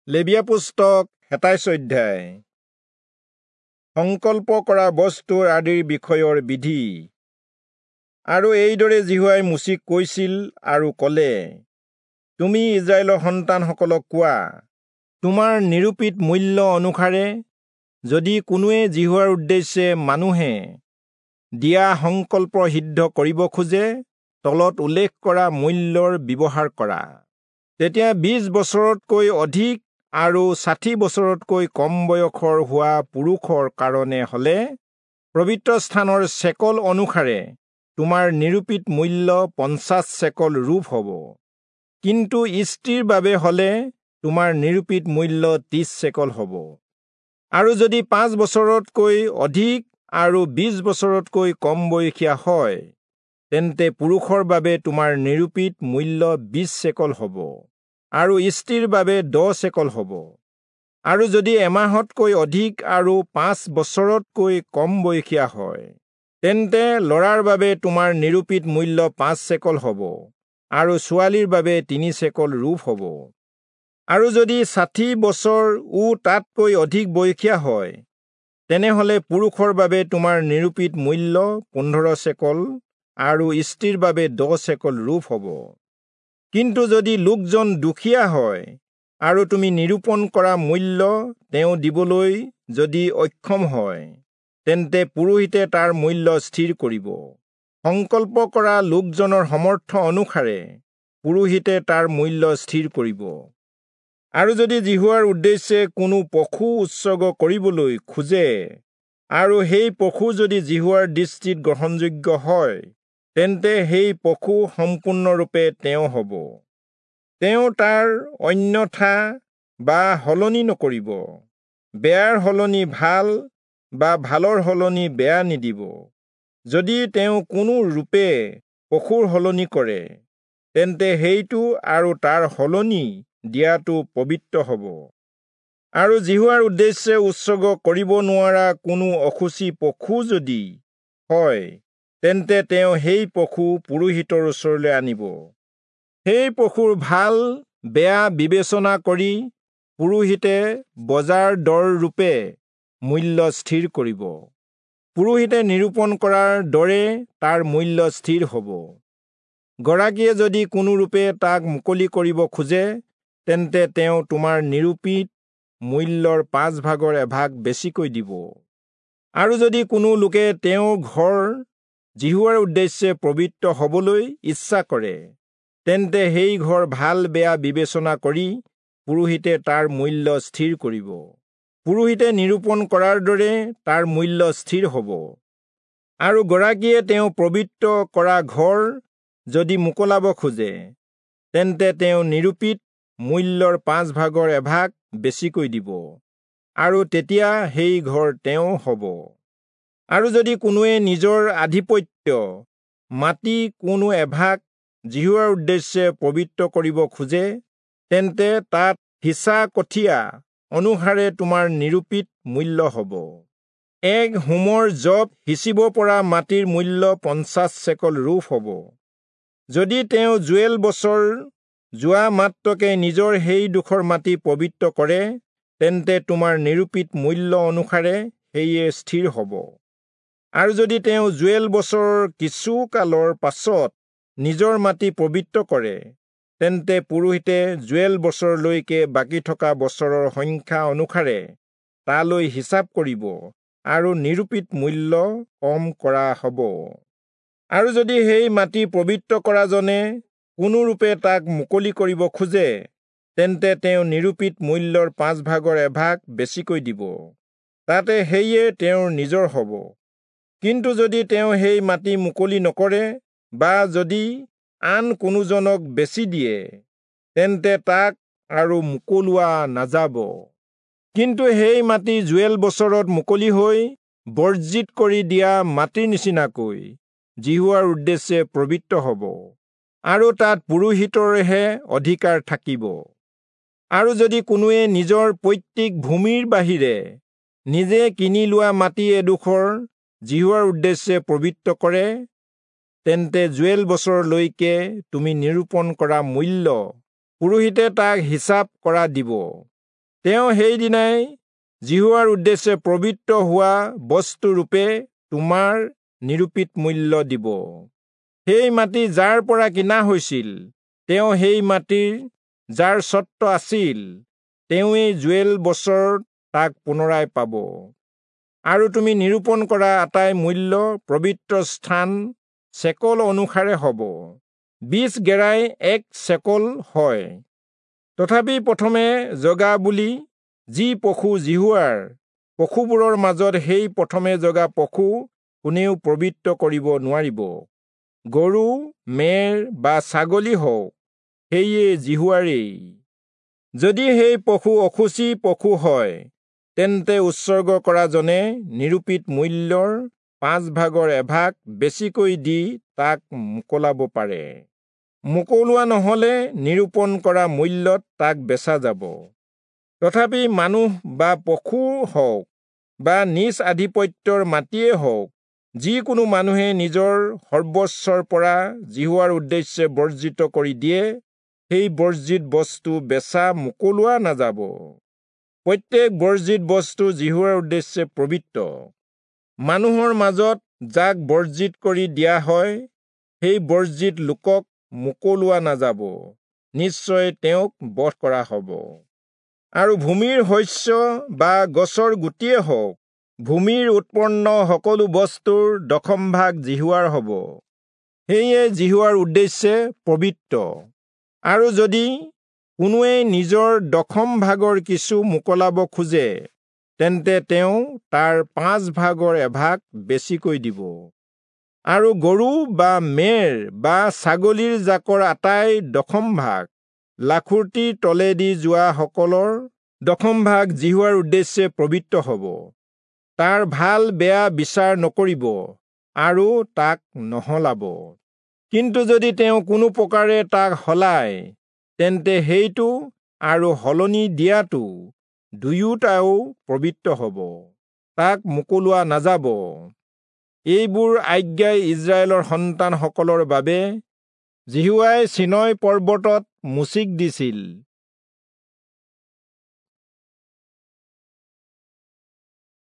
লেবীয়া পুস্তক 27 অধ্যায়। সংকল্প কৰা বস্তুৰ আদিৰ বিষয়ৰ বিধি। আৰু এইদৰে যিহোৱাই মোচিক কৈছিল আৰু ক'লে, তুমি ইস্ৰায়েলৰ সন্তানসকলক কোৱা, তোমাৰ নিৰূপিত মূল্য অনুসাৰে যদি কোনোৱে যিহোৱাৰ উদ্দেশ্যে মানুহে দিয়া সংকল্প সিদ্ধ কৰিব খোজে, তলত উল্লেখ কৰা মূল্যৰ ব্যৱহাৰ কৰা। তেতিয়া 20 বছৰতকৈ অধিক আৰু 60 বছৰতকৈ কম বয়সৰ হোৱা পুৰুষৰ কাৰণে হলে পবিত্ৰ স্থানৰ চেকল অনুসাৰে তোমাৰ নিৰূপিত মূল্য 50 চেকল ৰূপ হ'ব। কিন্তু স্ত্ৰীৰ বাবে হলে তোমাৰ নিৰূপিত মূল্য 30 চেকল হ'ব। আৰু যদি 5 বছৰতকৈ অধিক আৰু 20 বছৰতকৈ কম বয়সীয়া হয়, তেন্তে পুৰুষৰ বাবে তোমাৰ নিৰূপিত মূল্য 20 চেকল হ'ব আৰু স্ত্ৰীৰ বাবে 10 চেকল হ'ব। আৰু যদি এমাহতকৈ অধিক আৰু 5 বছৰতকৈ কম বয়সীয়া হয়, তেন্তে ল'ৰাৰ বাবে তোমাৰ নিৰূপিত মূল্য 5 চেকল হ'ব আৰু ছোৱালীৰ বাবে 3 চেকল ৰূপ হ'ব। আৰু যদি 60 বছৰ ও তাতকৈ অধিক বয়সীয়া হয়, তেনেহ'লে পুৰুষৰ বাবে তোমাৰ নিৰূপিত মূল্য 15 চেকল আৰু স্ত্ৰীৰ বাবে 10 চেকল ৰূপ হ'ব। কিন্তু যদি লোকজন দুখীয়া হয় আৰু তুমি নিৰূপণ কৰা মূল্য তেওঁ দিবলৈ যদি অক্ষম হয়, তেন্তে পুৰোহিতে তাৰ মূল্য স্থিৰ কৰিব। সংকল্প কৰা লোকজনৰ সমৰ্থ অনুসাৰে পুৰোহিতে তাৰ মূল্য স্থিৰ কৰিব। আৰু যদি যিহোৱাৰ উদ্দেশ্যে কোনো পশু উৎসৰ্গ কৰিবলৈ খোজে আৰু সেই পশু যদি যিহোৱাৰ দৃষ্টিত গ্ৰহণযোগ্য হয়, তেন্তে সেই পশু সম্পূৰ্ণৰূপে তেওঁ হ'ব। তেওঁ তাৰ অন্যথা বা সলনি নকৰিব, বেয়াৰ সলনি ভাল বা ভালৰ সলনি বেয়া নিদিব। যদি তেওঁ কোনো ৰূপে পশুৰ সলনি কৰে, তেন্তে সেইটো আৰু তাৰ সলনি দিয়াটো পবিত্ৰ হ'ব। আৰু যিহোৱাৰ উদ্দেশ্যে উৎসৰ্গ কৰিব নোৱাৰা কোনো অশুচি পশু যদি হয়, তেন্তে তেওঁ সেই পশু পুৰোহিতৰ ওচৰলৈ আনিব। সেই পশুৰ ভাল বেয়া বিবেচনা কৰি পুৰোহিতে বজাৰ দৰ ৰূপে মূল্য স্থিৰ কৰিব। পুৰোহিতে নিৰূপণ কৰাৰ দৰে তাৰ মূল্য স্থিৰ হ'ব। গৰাকীয়ে যদি কোনোৰূপে তাক মুকলি কৰিব খোজে, তেন্তে তেওঁ তোমাৰ নিৰূপিত মূল্যৰ 5 ভাগৰ এভাগ বেছিকৈ দিব। আৰু যদি কোনো লোকে তেওঁৰ ঘৰ যিহোৱাৰ উদ্দেশ্যে পবিত্ৰ হ'বলৈ ইচ্ছা কৰে, তেন্তে সেই ঘৰ ভাল বেয়া বিবেচনা কৰি পুৰোহিতে তাৰ মূল্য স্থিৰ কৰিব। পুৰোহিতে নিৰূপণ কৰাৰ দৰে তাৰ মূল্য স্থিৰ হ'ব। আৰু গৰাকীয়ে তেওঁ পবিত্ৰ কৰা ঘৰ যদি মোকলাব খোজে, তেন্তে তেওঁ নিৰূপিত মূল্যৰ 5 ভাগৰ এভাগ বেছিকৈ দিব, আৰু তেতিয়া সেই ঘৰ তেওঁ হ'ব। আৰু যদি কোনোৱে নিজৰ আধিপত্য মাটি কোনো এভাগ যিহোৱাৰ উদ্দেশ্যে পবিত্ৰ কৰিব খোজে, তেন্তে তাত সিঁচা কঠীয়া অনুসাৰে তোমাৰ নিৰূপিত মূল্য হ'ব। এক হোমৰ জপ সিঁচিব পৰা মাটিৰ মূল্য 50 চেকল ৰূপ হ'ব। যদি তেওঁ জুৱেল বছৰ যোৱা মাত্ৰকে নিজৰ সেই ডোখৰ মাটি পবিত্ৰ কৰে, তেন্তে তোমাৰ নিৰূপিত মূল্য অনুসাৰে সেয়ে স্থিৰ হ'ব। আৰু যদি তেওঁ জুৱেল বছৰৰ কিছু কালৰ পাছত নিজৰ মাটি পবিত্ৰ কৰে, তেন্তে পুৰোহিতে জুৱেল বছৰলৈকে বাকী থকা বছৰৰ সংখ্যা অনুসাৰে তালৈ হিচাপ কৰিব আৰু নিৰূপিত মূল্য কম কৰা হ'ব। আৰু যদি সেই মাটি পবিত্ৰ কৰাজনে কোনোৰূপে তাক মুকলি কৰিব খোজে, তেন্তে তেওঁ নিৰূপিত মূল্যৰ 5 ভাগৰ এভাগ বেছিকৈ দিব, তাতে সেয়ে তেওঁৰ নিজৰ হ'ব। কিন্তু যদি তেওঁ সেই মাটি মুকলি নকৰে বা যদি আন কোনোজনক বেচি দিয়ে, তেন্তে তাক আৰু মুকলোৱা নাযাব। কিন্তু সেই মাটি জুৱেল বছৰত মুকলি হৈ বৰ্জিত কৰি দিয়া মাটিৰ নিচিনাকৈ যিহোৱাৰ উদ্দেশ্যে পবিত্ৰ হ'ব, আৰু তাত পুৰোহিতৰহে অধিকাৰ থাকিব। আৰু যদি কোনোৱে নিজৰ পৈতৃক ভূমিৰ বাহিৰে নিজে কিনি লোৱা মাটি এডোখৰ যিহোৱাৰ উদ্দেশ্যে পবিত্ৰ কৰে, তেন্তে জুৱেল বছৰলৈকে তুমি নিৰূপণ কৰা মূল্য পুৰোহিতে তাক হিচাপ কৰা দিব। তেওঁ সেইদিনাই যিহোৱাৰ উদ্দেশ্যে পবিত্ৰ হোৱা বস্তুৰূপে তোমাৰ নিৰূপিত মূল্য দিব। সেই মাটি যাৰ পৰা কিনা হৈছিল, তেওঁ সেই মাটিৰ যাৰ স্বত্ব আছিল, তেওঁৱেই যোৱেল বছৰ তাক পুনৰাই পাব। আৰু তুমি নিৰূপণ কৰা আটাই মূল্য পবিত্ৰ স্থান চেকল অনুসাৰে হ'ব। 20 গেৰাই 1 চেকল হয়। তথাপি প্ৰথমে জগা বুলি যি পশু যিহোৱাৰ পশুবোৰৰ মাজত সেই প্ৰথমে জগা পশু কোনেও পবিত্ৰ কৰিব নোৱাৰিব। গৰু, মেৰ বা ছাগলী হওক, সেয়ে যিহোৱাৰেই। যদি সেই পশু অশুচি পশু হয়, তেন্তে উৎসৰ্গ কৰাজনে নিৰূপিত মূল্যৰ 5 ভাগৰ এভাগ বেছিকৈ দি তাক মোকলাব পাৰে। মোকলোৱা নহলে নিৰূপণ কৰা মূল্যত তাক বেচা যাব। তথাপি মানুহ বা পশু হওক বা নিজ আধিপত্যৰ মাটিয়ে হওক, যিকোনো মানুহে নিজৰ সৰ্বস্বৰ পৰা যিহোৱাৰ উদ্দেশ্যে বৰ্জিত কৰি দিয়ে, সেই বৰ্জিত বস্তু বেচা মোকলোৱা নাযাব। প্ৰত্যেক বৰ্জিত বস্তু যিহোৱাৰ উদ্দেশ্যে পবিত্ৰ। মানুহৰ মাজত যাক বৰ্জিত কৰি দিয়া হয়, সেই বৰ্জিত লোকক মোকলোৱা নাযাব, নিশ্চয় তেওঁক বধ কৰা হ'ব। আৰু ভূমিৰ শস্য বা গছৰ গুটিয়ে হওক, ভূমিৰ উৎপন্ন সকলো বস্তুৰ দশম ভাগ যিহোৱাৰ হ'ব, সেয়ে যিহোৱাৰ উদ্দেশ্যে পবিত্ৰ। আৰু যদি কোনোৱে নিজৰ দশম ভাগৰ কিছু মোকলাব খোজে, তেন্তে তেওঁ তাৰ 5 ভাগৰ এভাগ বেছিকৈ দিব। আৰু গৰু বা মেৰ বা ছাগলীৰ জাকৰ আটাই দশম ভাগ, লাখুটিৰ তলেদি যোৱা সকলৰ দশম ভাগ যিহোৱাৰ উদ্দেশ্যে পবিত্ৰ হ'ব। তাৰ ভাল বেয়া বিচাৰ নকৰিব আৰু তাক নহলাব। কিন্তু যদি তেওঁ কোনো প্ৰকাৰে তাক সলায়, তেন্তে সেইটো আৰু সলনি দিয়াটো দুয়োটাও পবিত্ৰ হ'ব, তাক মোকলোৱা নাযাব। এইবোৰ আজ্ঞাই ইস্ৰায়েলৰ সন্তানসকলৰ বাবে যিহোৱাই চীনয় পৰ্বতত মোচিক দিছিল।